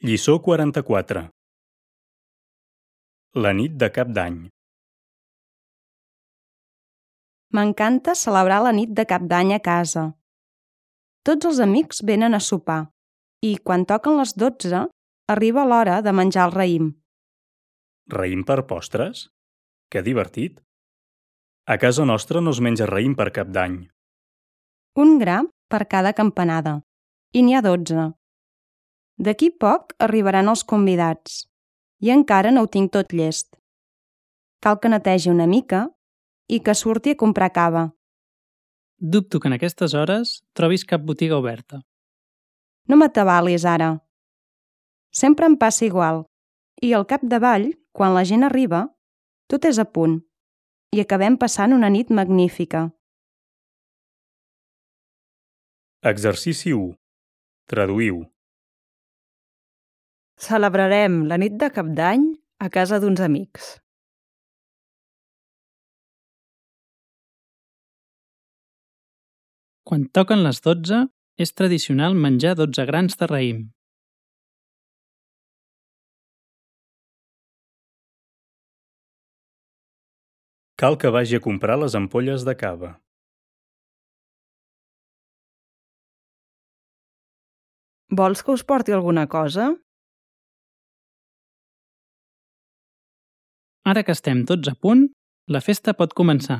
Lliçó 44. La nit de Cap d'Any. M'encanta celebrar la nit de Cap d'Any a casa. Tots els amics venen a sopar i, quan toquen les 12, arriba l'hora de menjar el raïm. Raïm per postres? Que divertit! A casa nostra no es menja raïm per Cap d'Any. Un gra per cada campanada. I n'hi ha 12. D'aquí poc arribaran els convidats. I encara no ho tinc tot llest. Cal que netegi una mica i que surti a comprar cava. Dubto que en aquestes hores trobis cap botiga oberta. No m'atabalis ara. Sempre em passa igual. I al capdavall, quan la gent arriba, tot és a punt. I acabem passant una nit magnífica. Exercici 1. Traduïu. Celebrarem la nit de Cap d'Any a casa d'uns amics. Quan toquen les 12, és tradicional menjar 12 grans de raïm. Cal que vagi a comprar les ampolles de cava. Vols que us porti alguna cosa? Ara que estem tots a punt, la festa pot començar.